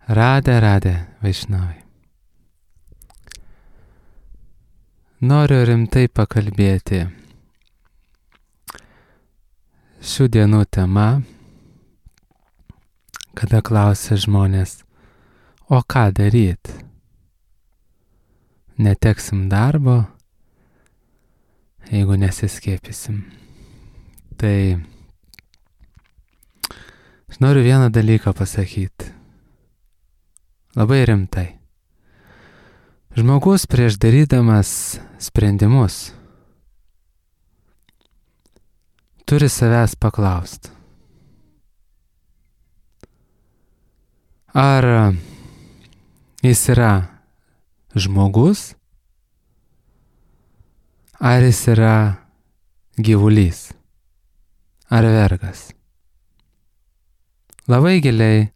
Radhe Vaišnavai. Noriu rimtai pakalbėti. Šių dienų tema, kada klausia žmonės, o ką daryt? Neteksim darbo, jeigu nesiskiepysim. Tai aš noriu vieną dalyką pasakyti. Labai rimtai. Žmogus prieš darydamas sprendimus turi savęs paklausti. Ar jis yra žmogus, ar jis yra gyvulys, ar vergas. Labai giliai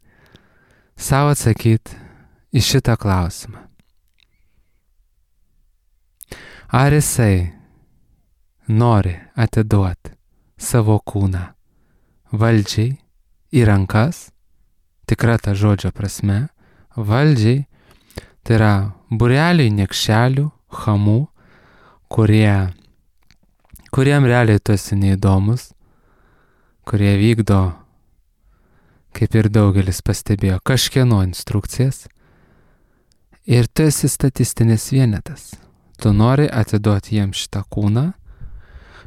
savo atsakyti į šitą klausimą. Ar jisai nori atiduoti savo kūną valdžiai į rankas, tikra ta žodžio prasme, valdžiai, tai yra būreliai niekšelių, chamų, kuriem realiai tu esi neįdomus, kurie vykdo, kaip ir daugelis pastebėjo, kažkieno instrukcijas, ir tu esi statistinis vienetas. Tu nori atiduoti jiems šitą kūną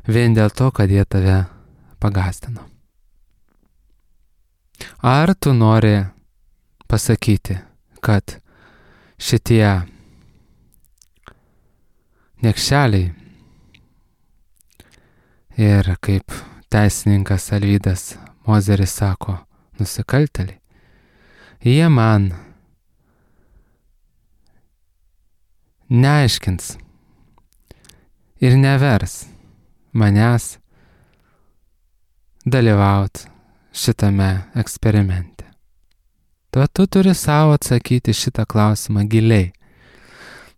vien dėl to, kad jie tave pagąsdino. Ar tu nori pasakyti, kad šitie niekšeliai ir, kaip teisininkas Alvydas Mozeris sako, nusikaltėliai, jie man neaiškins ir nevers manęs dalyvauti šitame eksperimente. Tu turi savo atsakyti šitą klausimą giliai,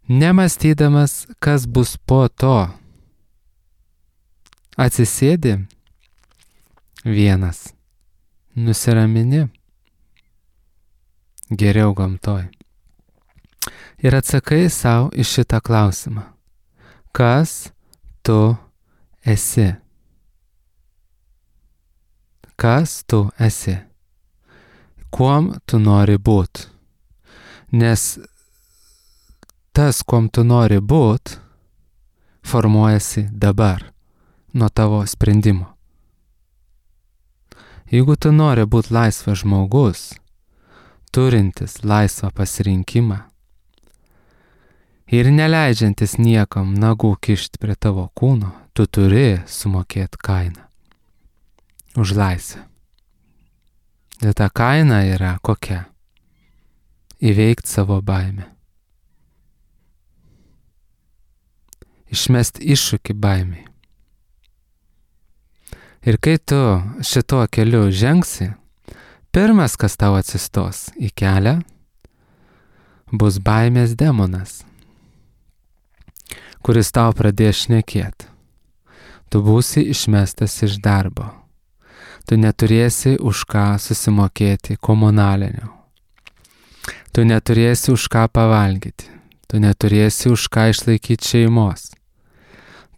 nemąstydamas, kas bus po to. Atsisėdi vienas, nusiramini, geriau gamtoj. Ir atsakai savo į šitą klausimą. Kas tu esi? Kas tu esi? Kuom tu nori būti? Nes tas, kuom tu nori būti, formuojasi dabar, nuo tavo sprendimo. Jeigu tu nori būti laisvas žmogus, turintis laisvą pasirinkimą ir neleidžiantis niekam nagų kišti prie tavo kūno, tu turi sumokėti kainą už laisvę. Ir ta kaina yra kokia? Įveikti savo baimę. Išmesti iššūkį baimiai. Ir kai tu šituo keliu žengsi, pirmas, kas tau atsistos į kelią, bus baimės demonas, kuris tau pradės šnekėti. Tu būsi išmestas iš darbo. Tu neturėsi už ką susimokėti komunalinių. Tu neturėsi už ką pavalgyti. Tu neturėsi už ką išlaikyti šeimos.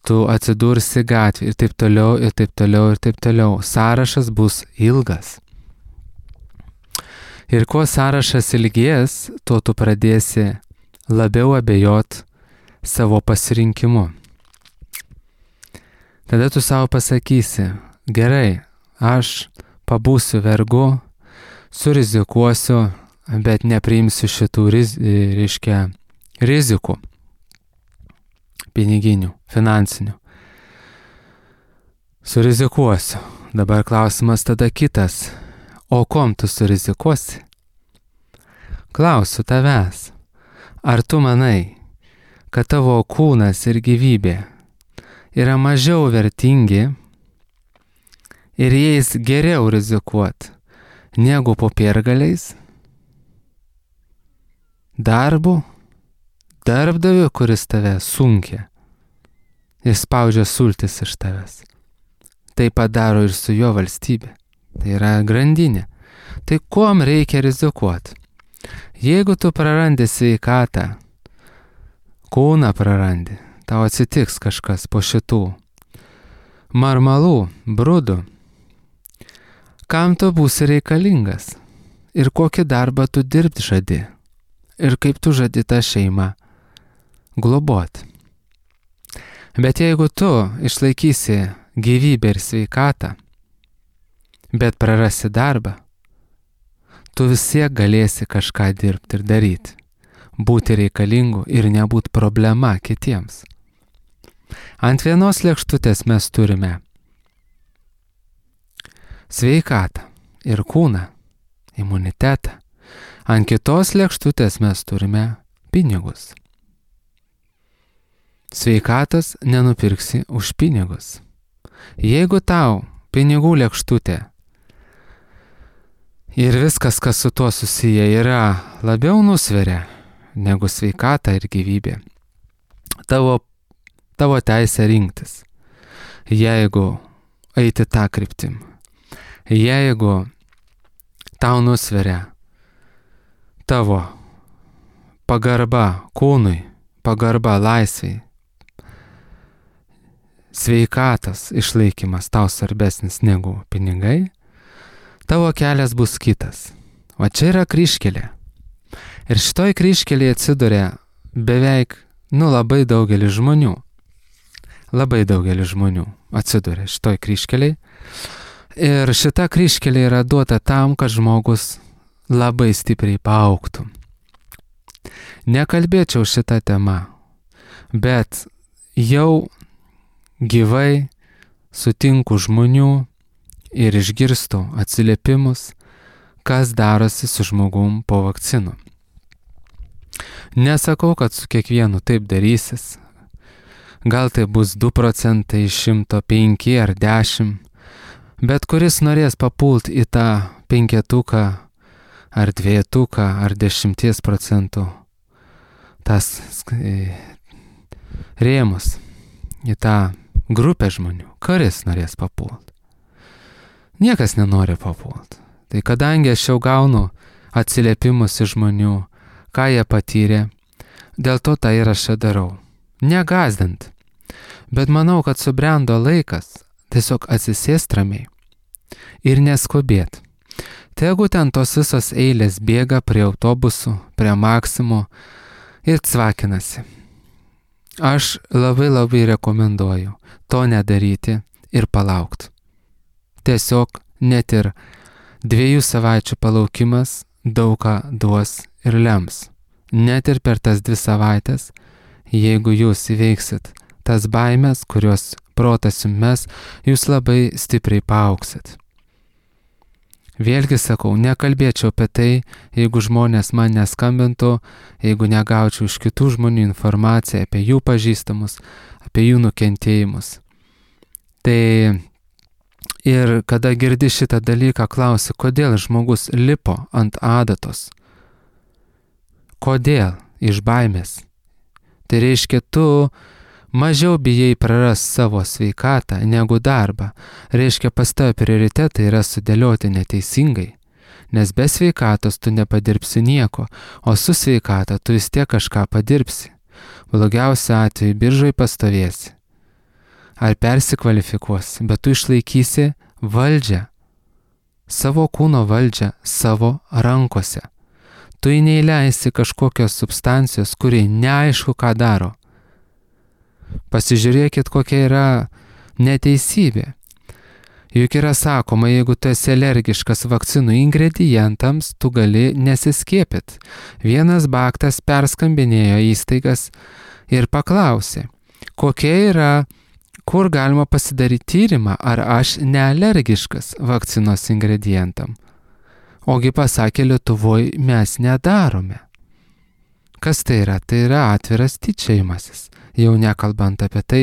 Tu atsidursi gatvį ir taip toliau, ir taip toliau, ir taip toliau. Sąrašas bus ilgas. Ir kuo sąrašas ilgės, tuo tu pradėsi labiau abejot savo pasirinkimu. Tada tu savo pasakysi, gerai, aš pabūsiu vergu, surizikuosiu, bet nepriimsiu šitų rizikų, piniginių, finansinių. Surizikuosiu. Dabar klausimas tada kitas. O kom tu surizikuosi? Klausiu tavęs. Ar tu manai, kad tavo kūnas ir gyvybė yra mažiau vertingi ir jais geriau rizikuot negu popiergaliais? Darbu? Darbdaviu, kuris tave sunkia ir spaudžia sultis iš tavęs. Tai padaro ir su jo valstybė. Tai yra grandinė. Tai kuom reikia rizikuoti? Jeigu tu prarandi sveikatą, kūną prarandi, tau atsitiks kažkas po šitų marmalų, brudų, kam tu būsi reikalingas ir kokį darbą tu dirbti žadi ir kaip tu žadi tą šeimą globot. Bet jeigu tu išlaikysi gyvybę ir sveikatą, bet prarasi darbą, tu vis tiek galėsi kažką dirbti ir daryti, būti reikalingu ir nebūt problema kitiems. Ant vienos lėkštutės mes turime sveikatą ir kūną, imunitetą. Ant kitos lėkštutės mes turime pinigus. Sveikatos nenupirksi už pinigus. Jeigu tau pinigų lėkštutė ir viskas, kas su tuo susiję, yra labiau nusveria negu sveikata ir gyvybė, tavo teisė rinktis. Jeigu eiti tą kryptim, jeigu tau nusveria tavo pagarba kūnui, pagarba laisvei, sveikatos išlaikymas tau svarbesnis negu pinigai, tavo kelias bus kitas. O čia yra kryžkelė. Ir šitoj kryžkelėje atsiduria beveik, labai daugelis žmonių. Labai daugelis žmonių atsiduria šitoj kryžkelėje. Ir šita kryžkelė yra duota tam, kad žmogus labai stipriai paaugtų. Nekalbėčiau šitą temą, bet jau gyvai sutinku žmonių ir išgirstu atsiliepimus, kas darosi su žmogum po vakcinų. Nesakau, kad su kiekvienu taip darysis. Gal tai bus 2% iš 105 ar 10, bet kuris norės papult į tą 5 ar 2 ar 10% tas rėmus, į tą grupę žmonių, kuris norės papult. Niekas nenori papult. Tai kadangi aš jau gaunu atsiliepimus iš žmonių, ką jie patyrė, dėl to tą įrašą darau. Negazdant. Bet manau, kad subrendo laikas tiesiog atsisėst ramiai ir neskubėt. Tegu ten tos visos eilės bėga prie autobusų, prie Maksimo ir cvakinasi. Aš labai rekomenduoju to nedaryti ir palaukti. Tiesiog net ir 2 savaičių palaukimas daug ką duos ir lems. Net ir per tas 2 savaitės, jeigu jūs įveiksit tas baimės, kurios protas jums mes, jūs labai stipriai paaugsit. Vėlgi sakau, nekalbėčiau apie tai, jeigu žmonės man neskambintų, jeigu negaučiau iš kitų žmonių informaciją apie jų pažįstamus, apie jų nukentėjimus. Tai ir kada girdi šitą dalyką, klausi, kodėl žmogus lipo ant adatos? Kodėl? Iš baimės. Tai reiškia, tu mažiau bijai praras savo sveikatą negu darbą. Reiškia, pas tave prioritetai yra sudėlioti neteisingai. Nes be sveikatos tu nepadirbsi nieko, o su sveikata tu vis tiek kažką padirbsi. Blogiausiu atveju biržai pastovėsi. Ar persikvalifikuosi, bet tu išlaikysi valdžią, savo kūno valdžią savo rankose. Tu neįleisi kažkokios substancijos, kuri neaišku ką daro. Pasižiūrėkit, kokia yra neteisybė. Juk yra sakoma, jeigu tu esi alergiškas vakcinų ingredientams, tu gali nesiskiepyti. Vienas baktas perskambinėjo įstaigas ir paklausė, kur galima pasidaryti tyrimą, ar aš nealergiškas vakcinos ingredientam. Ogi pasakė, Lietuvoje mes nedarome. Kas tai yra? Tai yra atviras tyčiojimasis. Jau nekalbant apie tai,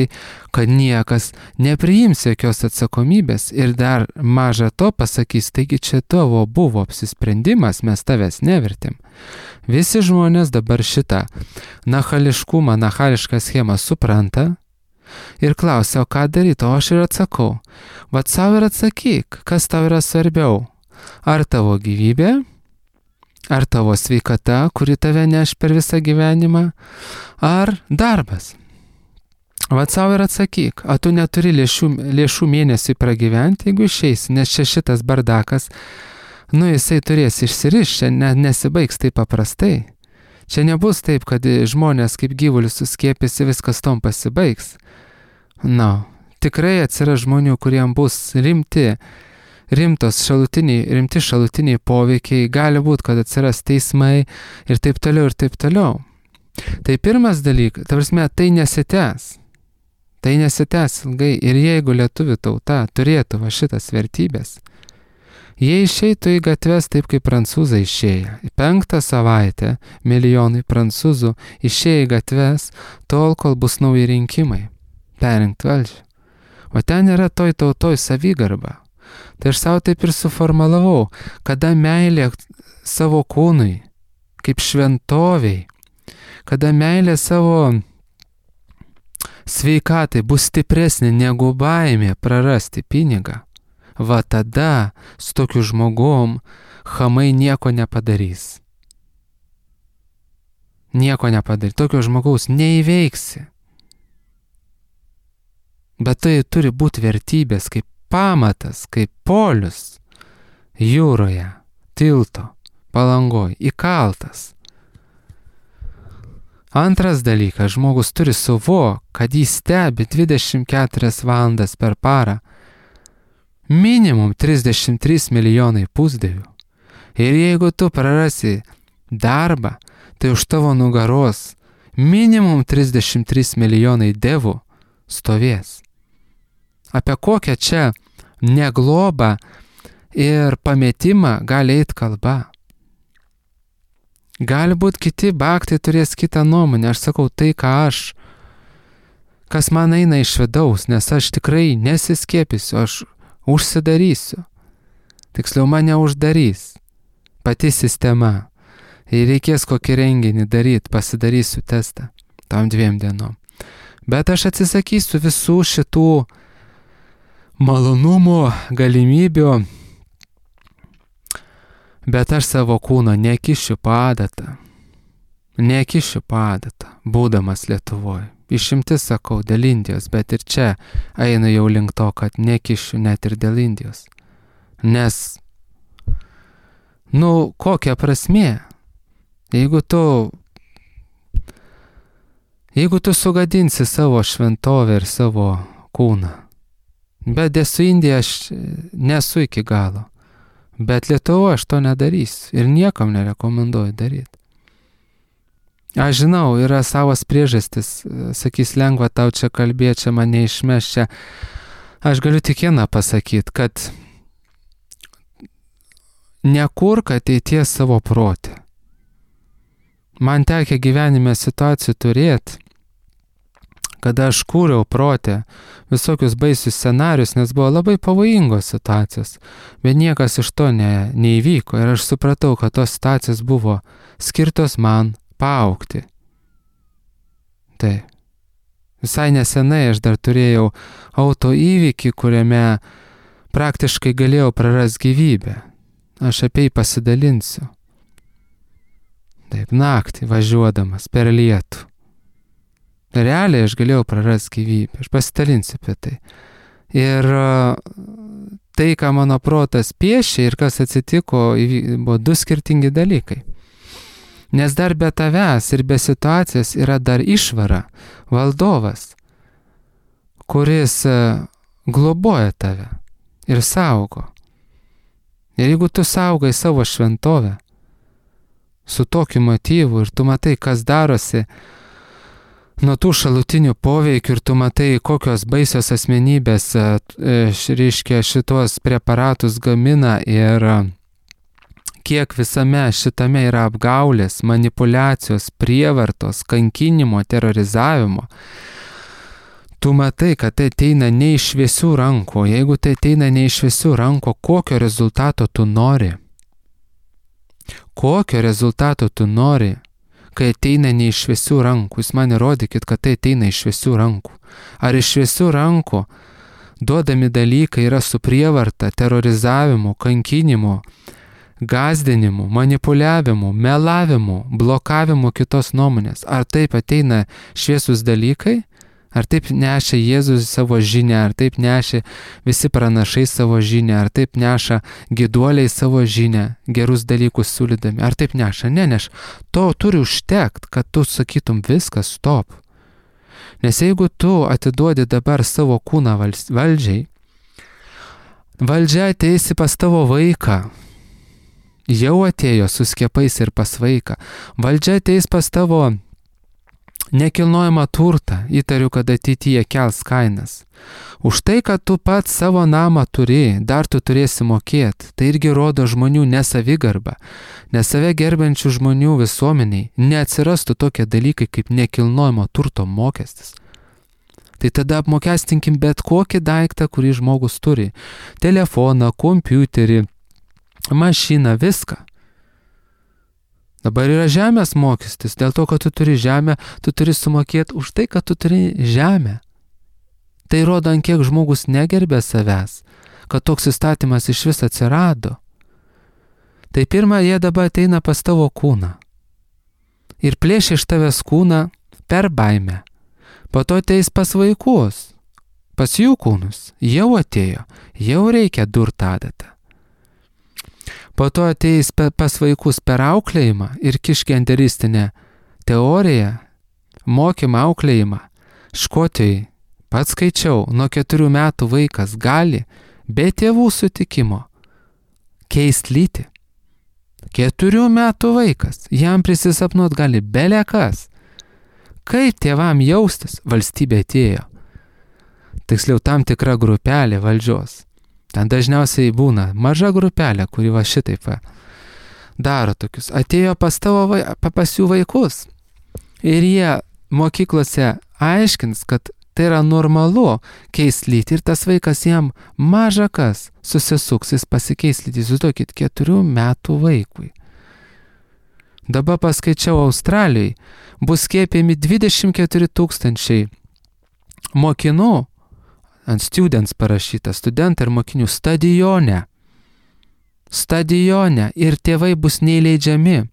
kad niekas nepriims jokios atsakomybės ir dar maža to pasakys, taigi čia tavo buvo apsisprendimas, mes tavęs nevertėm. Visi žmonės dabar šitą nachališką schemą supranta ir klausia, o ką daryti, o aš ir atsakau. Vat savo ir atsakyk, kas tau yra svarbiau. Ar tavo gyvybė, Ar tavo sveikata, kuri tave neš per visą gyvenimą, ar darbas. Vat savo ir atsakyk, ar tu neturi lėšų mėnesiui pragyventi, jeigu išeisi, nes čia šitas bardakas, jisai turės išsirišti, čia nesibaigs taip paprastai. Čia nebus taip, kad žmonės kaip gyvulius suskiepėsi, viskas tom pasibaigs. Tikrai atsiras žmonių, kuriem bus rimti šalutiniai poveikiai, gali būti, kad atsiras teismai ir taip toliau, ir taip toliau. Tai pirmas dalykas, tai nesitęs. Tai nesitęs ilgai ir jeigu lietuvių tauta turėtų šitas vertybės, jie išeitų į gatves taip, kaip prancūzai išėjo. 5 savaitę milijonai prancūzų išėjo į gatves tol, kol bus nauji rinkimai. Perrinkti valdžią. O ten yra toj tautoj savigarba. Tai aš savo taip ir suformalavau, kada meilė savo kūnui, kaip šventoviai, kada meilė savo sveikatai bus stipresnė negu baimė prarasti pinigą, tada su tokiu žmogum chamai nieko nepadarys. Nieko nepadarys. Tokio žmogaus neįveiksi. Bet tai turi būti vertybės kaip pamatas, kaip polius jūroje, tilto, palangoj, įkaltas. Antras dalykas, žmogus turi suvokti, kad jis stebi 24 valandas per parą minimum 33 milijonai pusdievių. Ir jeigu tu prarasi darbą, tai už tavo nugaros minimum 33 milijonai devų stovės. Apie kokią čia neglobą ir pametimą gali eiti kalba. Gali būti kiti baktai turės kitą nuomonę. Aš sakau tai, kas man eina iš vidaus, nes aš tikrai nesiskiepysiu, aš užsidarysiu. Tiksliau mane uždarys pati sistema. Jei reikės kokį renginį daryti, pasidarysiu testą tom 2 dienom. Bet aš atsisakysiu visų šitų malonumų, galimybių, bet aš savo kūno nekišiu padatą, būdamas Lietuvoje. Išimtis sakau dėl Indijos, bet ir čia einu jau link to, kad nekišiu net ir dėl Indijos. Nes, kokia prasmė? Jeigu tu sugadinsi savo šventovę ir savo kūną, bet su Indija aš nesu iki galo, bet Lietuvoje aš to nedarysiu ir niekam nerekomenduoju daryti. Aš žinau, yra savas priežastis, sakys, lengva tau čia kalbėti, čia mane išmeš čia. Aš galiu tik vieną pasakyti, kad nekurk ateities savo protę. Man tekia gyvenime situacijų turėti, kada aš kūriau protę visokius baisius scenarius, nes buvo labai pavojingos situacijos, bet niekas iš to neįvyko ir aš supratau, kad tos situacijos buvo skirtos man paaugti. Tai visai nesenai aš dar turėjau auto įvykį, kuriame praktiškai galėjau prarasti gyvybę. Aš apie jį pasidalinsiu. Taip, naktį važiuodamas per lietų. Realiai aš galėjau prarasti gyvybę. Aš pasidalinsiu apie tai. Ir tai, ką mano protas piešė ir kas atsitiko, buvo 2 skirtingi dalykai. Nes dar be tavęs ir be situacijos yra dar išvara, valdovas, kuris globoja tave ir saugo. Ir jeigu tu saugai savo šventovę su tokiu motyvu ir tu matai, kas darosi nuo tų šalutinių poveikių ir tu matai, kokios baisios asmenybės reiškia šitos preparatus gamina ir kiek visame šitame yra apgaulės, manipulacijos, prievartos, kankinimo, terorizavimo. Tu matai, kad tai ateina ne iš šviesių rankų. Jeigu tai ateina ne iš šviesių rankų, kokio rezultato tu nori? Kokio rezultato tu nori, kai ateina ne iš šviesių rankų? Jūs man įrodykit, kad tai ateina iš šviesių rankų. Ar iš šviesių rankų duodami dalykai yra su prievarta, terorizavimu, kankinimu, gąsdinimų, manipuliavimų, melavimų, blokavimų kitos nuomonės. Ar taip ateina šviesus dalykai? Ar taip nešia Jėzus savo žinią, ar taip nešia visi pranašai savo žinią, ar taip neša gyduoliai savo žinią, gerus dalykus siūlydami, ar taip neša? Neneš. To turi užtekt, kad tu sakytum viskas, stop. Nes jeigu tu atiduodi dabar savo kūną valdžiai, valdžia ateisi pas tavo vaiką, jau atėjo su skiepais ir pas vaiką, valdžia ateis pas tavo nekilnojamą turtą, įtariu, kad ateityje kels kainas. Už tai, kad tu pats savo namą turi, dar tu turėsi mokėti, tai irgi rodo žmonių nesavigarbą, nes save gerbiančių žmonių visuomeniai neatsirastų tokie dalykai kaip nekilnojamo turto mokestis. Tai tada apmokestinkim bet kokį daiktą, kurį žmogus turi. Telefoną, kompiuterį, mašiną, viską. Dabar yra žemės mokestis, dėl to, kad tu turi žemę, tu turi sumokėti už tai, kad tu turi žemę. Tai rodo, ant kiek žmogus negerbė savęs, kad toks įstatymas iš vis atsirado. Tai pirmą, jie dabar ateina pas tavo kūną ir plėšia iš tavęs kūną per baimę. Po to ateis pas vaikus, pas jų kūnus, jau atėjo, jau reikia durt adatą. Po to ateis pas vaikus per auklėjimą ir kišgenderistinę teoriją, mokymą auklėjimą. Škotijai, pats skaičiau, nuo 4 metų vaikas gali be tėvų sutikimo keisti lytį. 4 metų vaikas, jam prisisapnuot gali belekas. Kaip tėvam jaustis? Valstybė atėjo. Tiksliau, tam tikra grupelė valdžios. Ten dažniausiai būna maža grupelė, kuri va šitaip daro tokius. Atėjo pas jų vaikus ir jie mokyklose aiškins, kad tai yra normalu keisti lytį ir tas vaikas jam maža kas susisuks, jis pasikeis lytį. Įsivaizduokit, 4 metų vaikui. Dabar paskaičiau Australijai, bus skiepijami 24 000 mokinų, ant students parašyta, studentai ir mokinių stadione. Stadione ir tėvai bus neįleidžiami.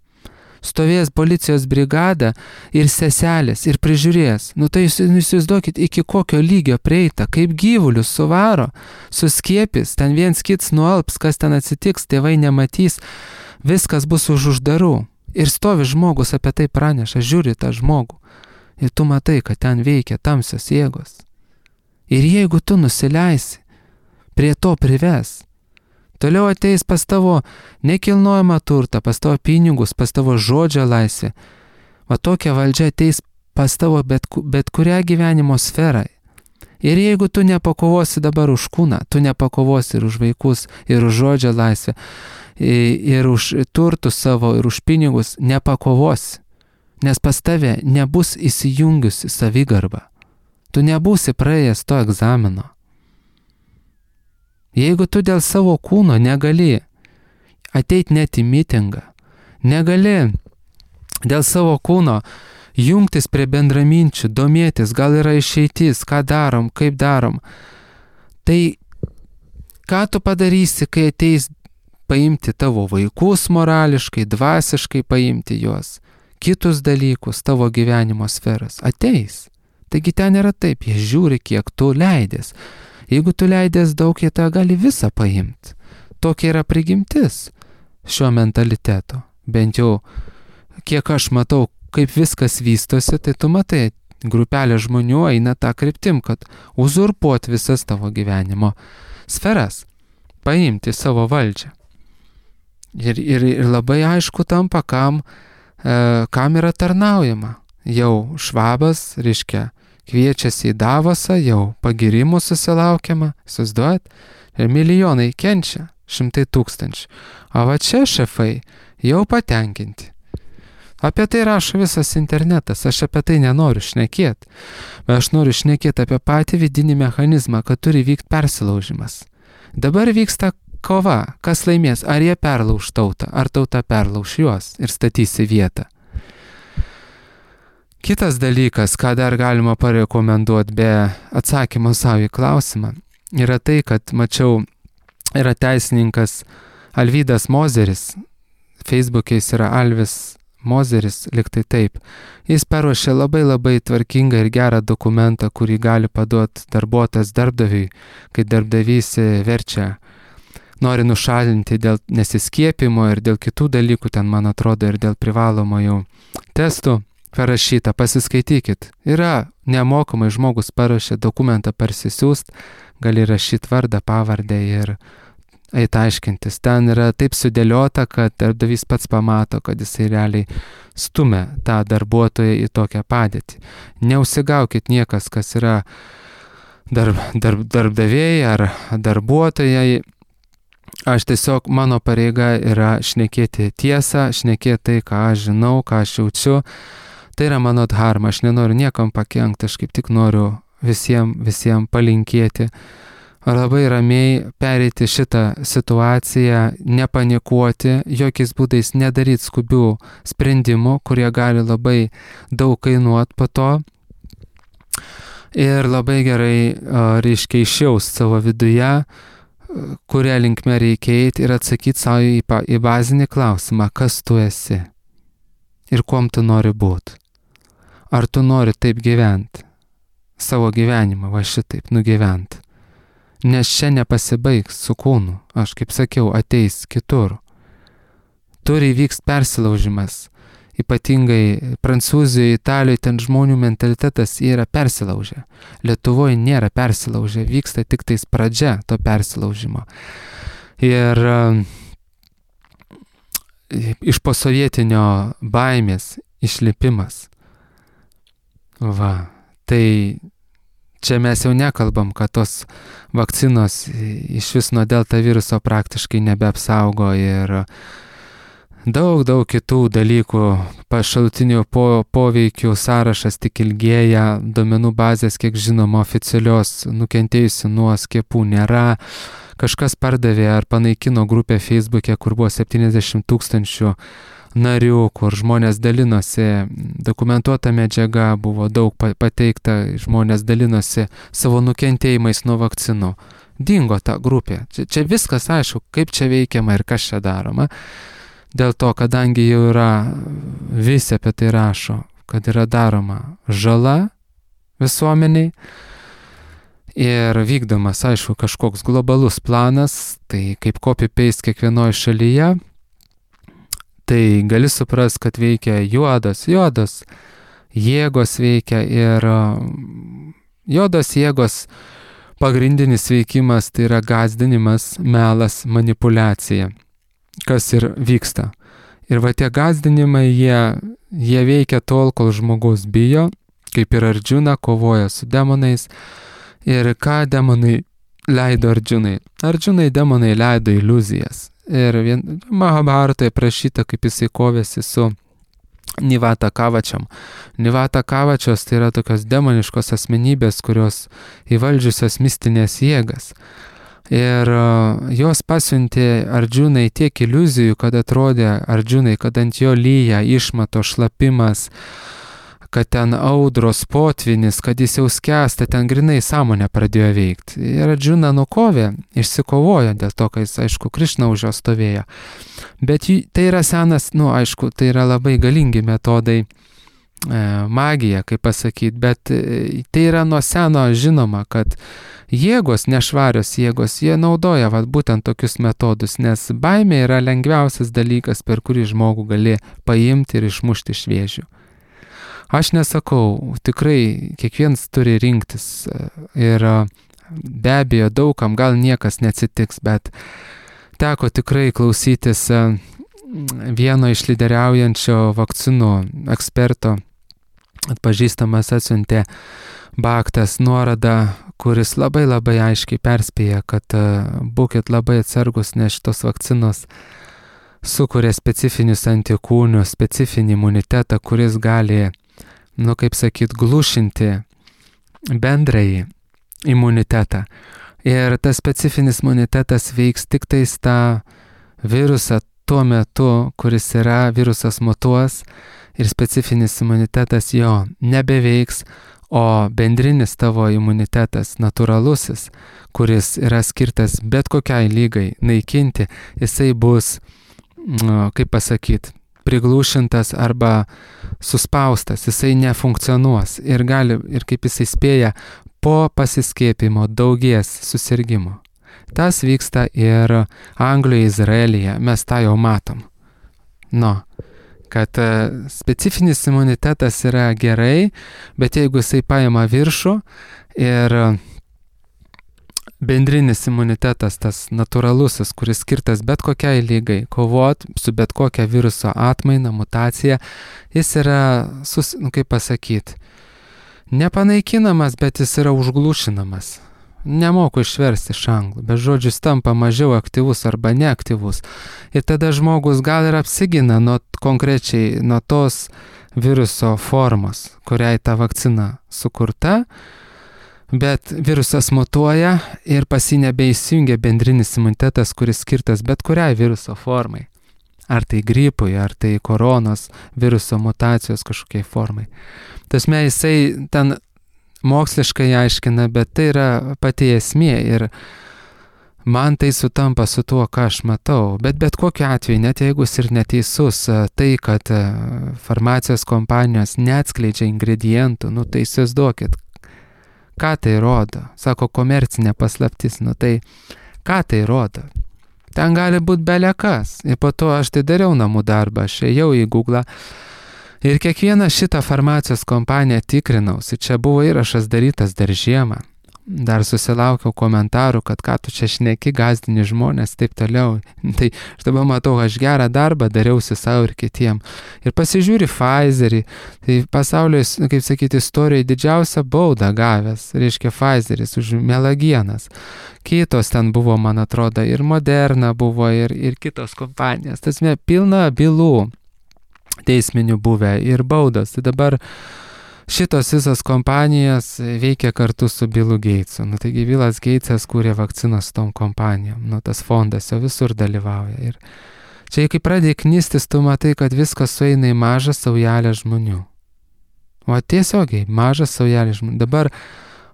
Stovės policijos brigada ir seselės ir prižiūrės. Tai jūs įsivaizduokit, iki kokio lygio prieita, kaip gyvulius suvaro, suskiepys, ten viens kits nualps, kas ten atsitiks, tėvai nematys, viskas bus už uždarų. Ir stovi žmogus apie tai praneša, žiūri tą žmogų. Ir tu matai, kad ten veikia tamsios jėgos. Ir jeigu tu nusileisi, prie to prives. Toliau ateis pas tavo nekilnojamą turtą, pas tavo pinigus, pas tavo žodžio laisvę. Va tokia valdžia ateis pas tavo bet kurią gyvenimo sferą. Ir jeigu tu nepakovosi dabar už kūną, tu nepakovosi ir už vaikus, ir už žodžio laisvę, ir už turtus savo, ir už pinigus, nepakovosi. Nes pas tave nebus įsijungiusi savigarba. Tu nebūsi praėjęs to egzamino. Jeigu tu dėl savo kūno negali ateiti net į mitingą, negali dėl savo kūno jungtis prie bendraminčių, domėtis, gal yra išeitis, ką darom, kaip darom, tai ką tu padarysi, kai ateis paimti tavo vaikus morališkai, dvasiškai paimti juos, kitus dalykus, tavo gyvenimo sferas? Ateis. Taigi ten yra taip, jie žiūri, kiek tu leidės. Jeigu tu leidės daug, jie tą gali visą paimti. Tokia yra prigimtis šio mentaliteto. Bent jau, kiek aš matau, kaip viskas vystosi, tai tu matai, grupelė žmonių eina tą kryptim, kad uzurpuoti visas tavo gyvenimo sferas, paimti savo valdžią. Ir labai aišku tampa, kam yra tarnaujama. Jau Švabas, reiškia, kviečiasi į Davosą, jau pagirimų susilaukiama, įsivaizduojat, ir milijonai kenčia, 100 000. O va čia šefai jau patenkinti. Apie tai rašo visas internetas, aš apie tai nenoriu šnekėti, bet aš noriu šnekėti apie patį vidinį mechanizmą, kad turi vykti persilaužimas. Dabar vyksta kova, kas laimės, ar jie perlauš tautą, ar tauta perlauš juos ir statys į vietą. Kitas dalykas, ką dar galima parekomenduoti be atsakymo savo į klausimą, yra tai, kad mačiau, yra teisininkas Alvydas Mozeris, Facebook'e jis yra Alvis Mozeris, liktai taip. Jis paruošė labai tvarkingą ir gerą dokumentą, kurį gali paduoti darbuotojas darbdaviui, kai darbdavys verčia, nori nušalinti dėl nesiskiepimo ir dėl kitų dalykų, ten man atrodo ir dėl privalomojų testų. Parašyta, pasiskaitykit. Yra nemokamai, žmogus parašė dokumentą parsisiųst, gali rašyti vardą, pavardę ir eit aiškintis. Ten yra taip sudėliota, kad darbdavys pats pamato, kad jisai realiai stumia tą darbuotoją į tokią padėtį. Neusigaukit niekas, kas yra darbdaviai ar darbuotojai. Aš tiesiog, mano pareiga yra šnekėti tiesą, šnekėti tai, ką aš žinau, ką aš jaučiu. Tai yra mano dharma, aš nenoriu niekam pakenkti, aš kaip tik noriu visiems palinkėti. Labai ramiai pereiti šitą situaciją, nepanikuoti, jokiais būdais nedaryti skubių sprendimų, kurie gali labai daug kainuoti po to. Ir labai gerai, reiškia, išjaust savo viduje, kuria linkme reikia eiti ir atsakyti savo į bazinį klausimą, kas tu esi ir kuom tu nori būti. Ar tu nori taip gyventi, savo gyvenimą, va šitaip nugyventi. Nes čia nepasibaigs su kūnu, aš kaip sakiau, ateis kitur. Turi įvykti persilaužimas, ypatingai Prancūzijoje, Italijoje, ten žmonių mentalitetas yra persilaužę. Lietuvoje nėra persilaužę, vyksta tik tais pradžia to persilaužimo. Ir iš posovietinio baimės išlipimas. Va, tai čia mes jau nekalbam, kad tos vakcinos iš vis nuo delta viruso praktiškai nebeapsaugo ir daug kitų dalykų, šalutinių poveikių sąrašas tik ilgėja, duomenų bazės, kiek žinoma, oficialios nukentėjusių nuo skiepų nėra. Kažkas pardavė ar panaikino grupę Facebook'e, kur buvo 70 000 narių, kur žmonės dalinosi, dokumentuota medžiaga buvo daug pateikta, žmonės dalinosi savo nukentėjimais nuo vakcinų. Dingo ta grupė. Čia viskas aišku, kaip čia veikiama ir kas čia daroma. Dėl to, kadangi jau yra, visi apie tai rašo, kad yra daroma žala visuomeniai ir vykdomas, aišku, kažkoks globalus planas, tai kaip copy-paste kiekvienoje šalyje, tai gali suprast, kad veikia juodos jėgos veikia ir juodos jėgos pagrindinis veikimas tai yra gąsdinimas, melas, manipuliacija, kas ir vyksta. Ir va tie gąsdinimai, jie veikia tol, kol žmogus bijo, kaip ir Arjuna kovoja su demonais. Ir ką demonai leido Arjunai? Arjunai demonai leido iliuzijas. Ir Mahabharatoje prašyta, kaip jisai kovėsi su Nivata Kavačiam. Nivata Kavačios tai yra tokios demoniškos asmenybės, kurios įvaldžiusios mistinės jėgas. Ir jos pasiuntė Arjunai tiek iliuzijų, kad atrodė Arjunai, kad ant jo lyja, išmato, šlapimas, kad ten audros, potvinis, kad jis jau skęsta, ten grinai sąmonė pradėjo veikti. Ir Arjuna nukovė, išsikovojo dėl to, kad jis, aišku, Krišna už jo stovėjo. Bet tai yra senas, aišku, tai yra labai galingi metodai, magija, kaip pasakyti, bet tai yra nuo seno žinoma, kad jėgos, nešvarios jėgos, jie naudoja būtent tokius metodus, nes baimė yra lengviausias dalykas, per kurį žmogų gali paimti ir išmušti iš vėžių. Aš nesakau, tikrai kiekvienas turi rinktis ir be abejo daugam gal niekas neatsitiks, bet teko tikrai klausytis vieno iš lyderiaujančio vakcinų eksperto, atpažįstamas atsiuntė Bhaktas nuorodą, kuris labai aiškiai perspėja, kad būkit labai atsargus, nes šitos vakcinos sukuria specifinius antikūnius, specifinį imunitetą, kuris gali, kaip sakyt, glušinti bendrąjį imunitetą. Ir tas specifinis imunitetas veiks tik tais tą virusą tuo metu, kuris yra, virusas mutuos ir specifinis imunitetas jo nebeveiks, o bendrinis tavo imunitetas, natūralusis, kuris yra skirtas bet kokiai lygai naikinti, jisai bus, kaip pasakyti, priglūšintas arba suspaustas, jisai nefunkcionuos ir kaip jisai spėja, po pasiskiepimo daugės susirgymų. Tas vyksta ir Anglijoje, Izraelyje, mes tą jau matom. Kad specifinis imunitetas yra gerai, bet jeigu jisai paima viršų ir bendrinis imunitetas, tas natūralusis, kuris skirtas bet kokiai lygai, kovot su bet kokia viruso atmaina, mutacija, jis yra, kaip pasakyti, nepanaikinamas, bet jis yra užglušinamas. Nemoku išversti iš anglų, bet žodžius tampa mažiau aktyvus arba neaktyvus. Ir tada žmogus gal ir apsigina konkrečiai nuo tos viruso formos, kuriai ta vakcina sukurta, bet virusas mutuoja ir pas jį nebeįsijungia bendrinis imunitetas, kuris skirtas bet kuriai viruso formai. Ar tai gripui, ar tai koronos viruso mutacijos kažkokiai formai. Tasme jisai ten moksliškai aiškina, bet tai yra pati esmė ir man tai sutampa su tuo, ką aš matau. Bet kokiu atveju, net jeigu jis ir neteisus, tai, kad farmacijos kompanijos neatskleidžia ingredientų, tai įsivaizduokit, ką tai rodo? Sako, komercinė paslaptis, tai ką tai rodo? Ten gali būti belekas. Ir po to aš tai dariau namų darbą, aš ėjau į Google ir kiekvieną šitą farmacijos kompaniją tikrinausi. Čia buvo įrašas darytas dar žiemą. Dar susilaukiau komentarų, kad ką tu čia šneki, gazdini žmonės, taip toliau. Tai aš dabar matau, aš gerą darbą dariausi savo ir kitiem. Ir pasižiūri Pfizerį, tai pasaulio, kaip sakyti, istorijoje didžiausią baudą gavęs, reiškia Pfizeris už melagienas. Kitos ten buvo, man atrodo, ir Moderna buvo, ir kitos kompanijos. Tasme, pilna bylų teisminių buvę ir baudos. Tai dabar šitos visos kompanijos veikia kartu su Billu Gatesu. Taigi Billas Gatesas kūrė vakcinas su tom kompanijom. Tas fondas jau visur dalyvauja. Ir čia, kai pradėjai knystis, tu matai, kad viskas sueina į mažą saujelę žmonių. O tiesiogiai, mažą saujelę žmonių. Dabar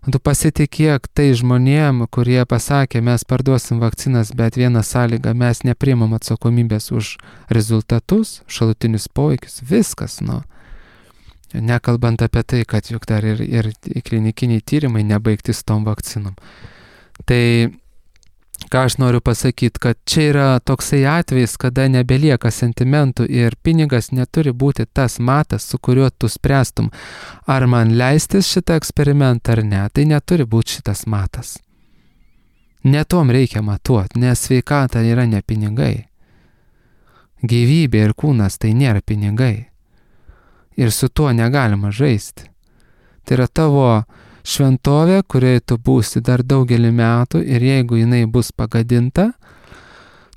tu pasitikėk tai žmonėm, kurie pasakė, mes parduosim vakcinas, bet vieną sąlygą, mes nepriimam atsakomybės už rezultatus, šalutinius poveikius, viskas, Nekalbant apie tai, kad juk dar ir klinikiniai tyrimai nebaigti su tom vakcinom. Tai ką aš noriu pasakyti, kad čia yra toksai atvejis, kada nebelieka sentimentų ir pinigas neturi būti tas matas, su kuriuo tu spręstum, ar man leistis šitą eksperimentą ar ne. Tai neturi būti šitas matas. Ne tom reikia matuoti, nes sveikata yra ne pinigai. Gyvybė ir kūnas tai nėra pinigai. Ir su tuo negalima žaisti. Tai yra tavo šventovė, kurioje tu būsi dar daugelį metų ir jeigu jinai bus pagadinta,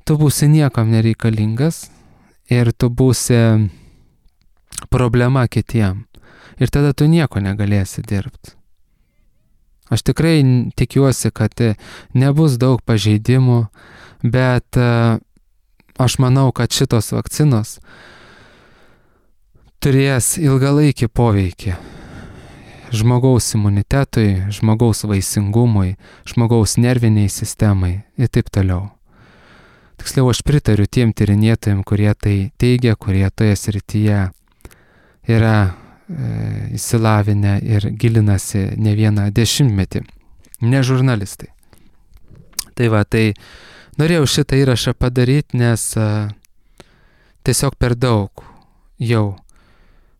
tu būsi niekam nereikalingas ir tu būsi problema kitiem. Ir tada tu nieko negalėsi dirbti. Aš tikrai tikiuosi, kad nebus daug pažeidimų, bet aš manau, kad šitos vakcinos turės ilgalaikį poveikį žmogaus imunitetui, žmogaus vaisingumui, žmogaus nerviniai sistemai ir taip toliau. Tiksliau, aš pritariu tiem tyrinėtojim, kurie tai teigia, kurie toje srityje yra įsilavinę ir gilinasi ne vieną dešimtmetį, ne žurnalistai. Tai norėjau šitą įrašą padaryti, nes tiesiog per daug jau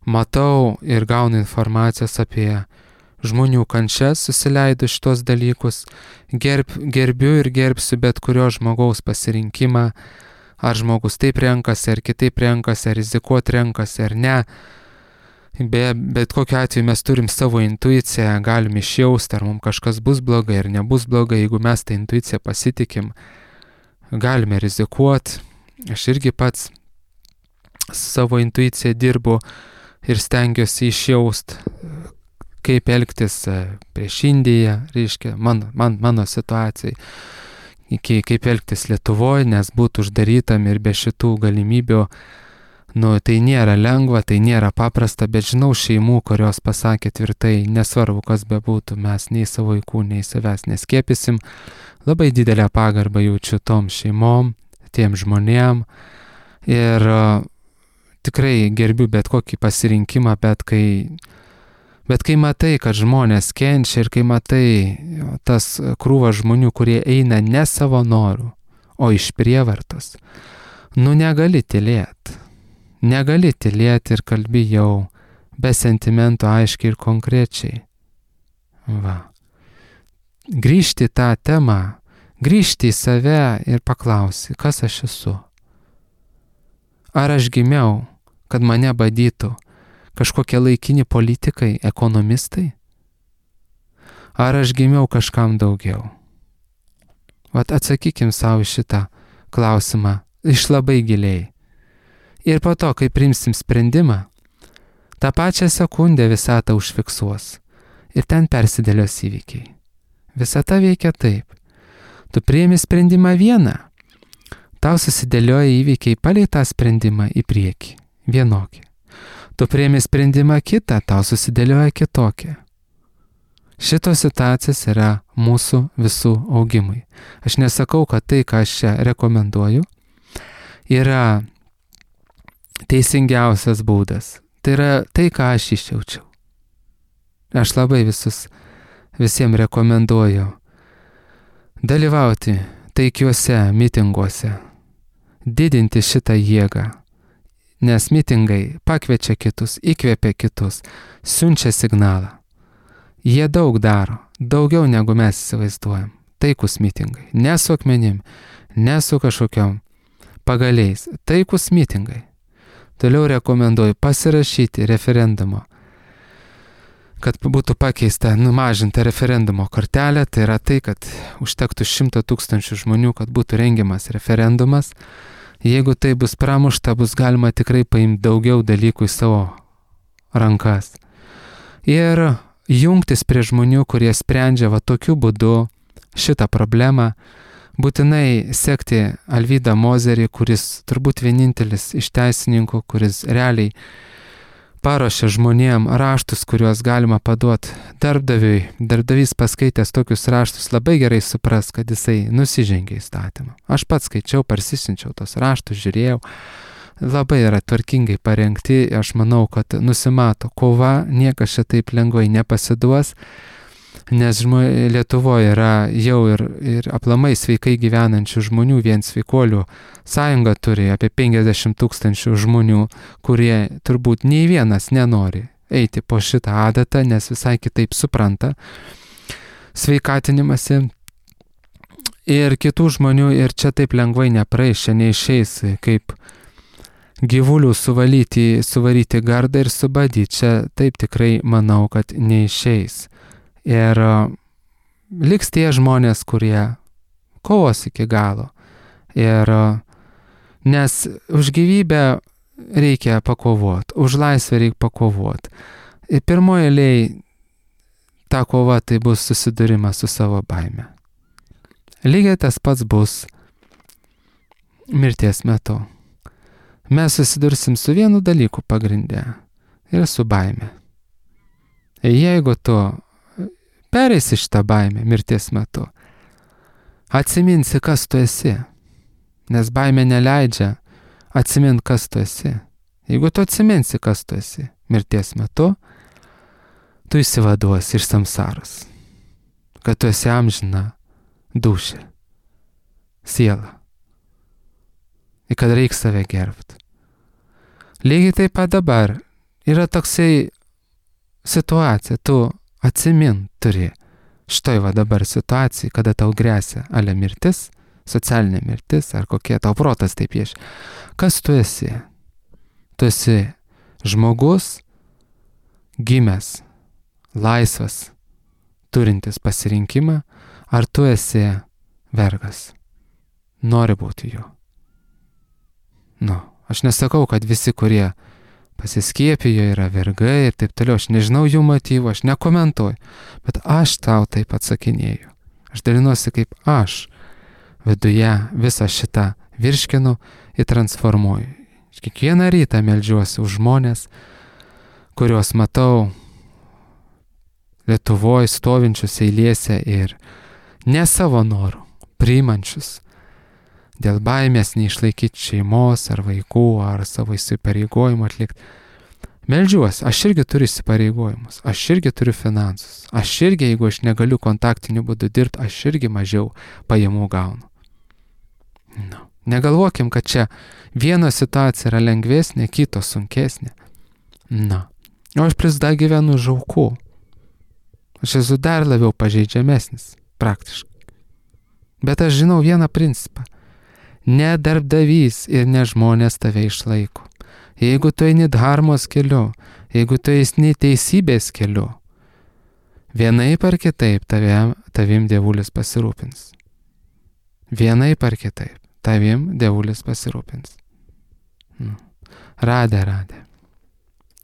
matau ir gaunu informacijos apie žmonių kančias, susileidu šitos dalykus, gerbiu ir gerbsiu bet kurio žmogaus pasirinkimą, ar žmogus taip renkasi, ar kitaip renkasi, ar rizikuot renkasi, ar ne. Bet kokiu atveju mes turim savo intuiciją, galim išjausti, ar mums kažkas bus blogai, ar nebus blogai, jeigu mes tą intuiciją pasitikim, galime rizikuot. Aš irgi pats savo intuiciją dirbu ir stengiuosi išjaust, kaip elgtis prieš Indiją, reiškia, mano situacijai, kaip elgtis Lietuvoje, nes būtų uždarytam ir be šitų galimybių Tai nėra lengva, tai nėra paprasta, bet žinau šeimų, kurios pasakė tvirtai, nesvarbu, kas bebūtų, mes nei savo vaikų, nei savęs neskėpysim. Labai didelę pagarbą jaučiu tom šeimom, tiem žmonėm ir tikrai gerbiu bet kokį pasirinkimą, bet kai matai, kad žmonės kenčia ir kai matai tas krūva žmonių, kurie eina ne savo norų, o iš prievartos, negali tylėti. Negali tylėti ir kalbi jau be sentimentų aiškiai ir konkrečiai. Grįžti į tą temą, grįžti į save ir paklausi, kas aš esu. Ar aš gimiau, kad mane badytų kažkokie laikini politikai, ekonomistai? Ar aš gimiau kažkam daugiau? Atsakykim savo šitą klausimą iš labai giliai. Ir po to, kai priimsim sprendimą, tą pačią sekundę visatą užfiksuos ir ten persidėlios įvykiai. Visata veikia taip. Tu priimi sprendimą vieną, tau susidėlioja įvykiai palei tą sprendimą į priekį, vienokį. Tu priimi sprendimą kitą, tau susidėlioja kitokį. Šitos situacijos yra mūsų visų augimui. Aš nesakau, kad tai, ką aš čia rekomenduoju, yra teisingiausias būdas. Tai yra tai, ką aš išjaučiau. Aš labai visiems rekomenduoju dalyvauti taikiuose mitinguose, didinti šitą jėgą, nes mitingai pakviečia kitus, įkvėpia kitus, siunčia signalą. Jie daug daro, daugiau negu mes įsivaizduojam. Taikus mitingai, ne su akmenim, ne su kažkokiom pagaliais, taikus mitingai. Toliau rekomenduoju pasirašyti referendumo, kad būtų pakeista, numažinta referendumo kortelė. Tai yra tai, kad užtektų 100 000 žmonių, kad būtų rengiamas referendumas. Jeigu tai bus pramušta, bus galima tikrai paimti daugiau dalykų į savo rankas. Ir jungtis prie žmonių, kurie sprendžia tokiu būdu šitą problemą. Būtinai sekti Alvydą Mozerį, kuris turbūt vienintelis iš teisininkų, kuris realiai paruošia žmonėm raštus, kuriuos galima paduoti darbdaviui. Darbdavys paskaitęs tokius raštus labai gerai supras, kad jisai nusižengė įstatymą. Aš pats skaičiau, parsisinčiau tos raštus, žiūrėjau. Labai yra tvarkingai parengti, aš manau, kad nusimato kova, niekas čia taip lengvai nepasiduos. Nes Lietuvoje yra jau ir aplamai sveikai gyvenančių žmonių, vien sveikuolių sąjunga turi apie 50 000 žmonių, kurie turbūt nei vienas nenori eiti po šitą adatą, nes visai kitaip supranta sveikatinimąsi. Ir kitų žmonių ir čia taip lengvai nepraeis, čia neišeis kaip gyvulių suvaryti gardą ir subadyti. Čia taip tikrai manau, kad neišeis. Ir liks tie žmonės, kurie kovos iki galo. Ir nes už gyvybę reikia pakovoti, už laisvę reikia pakovoti. Ir pirmoje eilėje ta kova tai bus susidūrimas su savo baime. Lygiai tas pats bus mirties metu. Mes susidursim su vienu dalyku pagrinde ir su baime. Jeigu tu pereisi šitą baimę mirties metu, atsiminsi, kas tu esi, nes baimė neleidžia atsiminti, kas tu esi. Jeigu tu atsiminsi, kas tu esi mirties metu, tu išsivaduosi iš samsaros, kad tu esi amžina dūšė, siela, ir kad reikia save gerbti. Lygiai taip pat dabar yra toksai situacija, tu atsimin turi štai dabar situacija, kada tau grėsia ale mirtis, socialinė mirtis, ar kokie tau protas taip piešia. Kas tu esi? Tu esi žmogus, gimęs, laisvas, turintis pasirinkimą, ar tu esi vergas? Nori būti juo. Aš nesakau, kad visi, kurie pasiskiepijo, yra vergai ir taip toliau. Aš nežinau jų motyvų, aš nekomentuoju, bet aš tau taip atsakinėju. Aš dalinuosi, kaip aš viduje visą šitą virškinu ir transformuoju. Kiekvieną rytą meldžiuosi už žmonės, kuriuos matau Lietuvoje stovinčius eilėse ir ne savo norų, priimančius dėl baimės neišlaikyti šeimos ar vaikų ar savo įsipareigojimų atlikti. Meldžiuosi, aš irgi turiu įsipareigojimus, aš irgi turiu finansus, aš irgi, jeigu aš negaliu kontaktiniu būdu dirbti, aš irgi mažiau pajamų gaunu. No. Negalvokim, kad čia vieno situacija yra lengvesnė, kito sunkesnė. Na, o aš plius dar gyvenu už aukų. Aš esu dar labiau pažeidžiamesnis, praktiškai. Bet aš žinau vieną principą. Ne darbdavys ir ne žmonės tave išlaiko. Jeigu tu eini dharmos keliu, jeigu tu eini teisybės keliu, vienaip ar kitaip tavim dievulis pasirūpins. Vienaip ar kitaip tavim dievulis pasirūpins. Radė.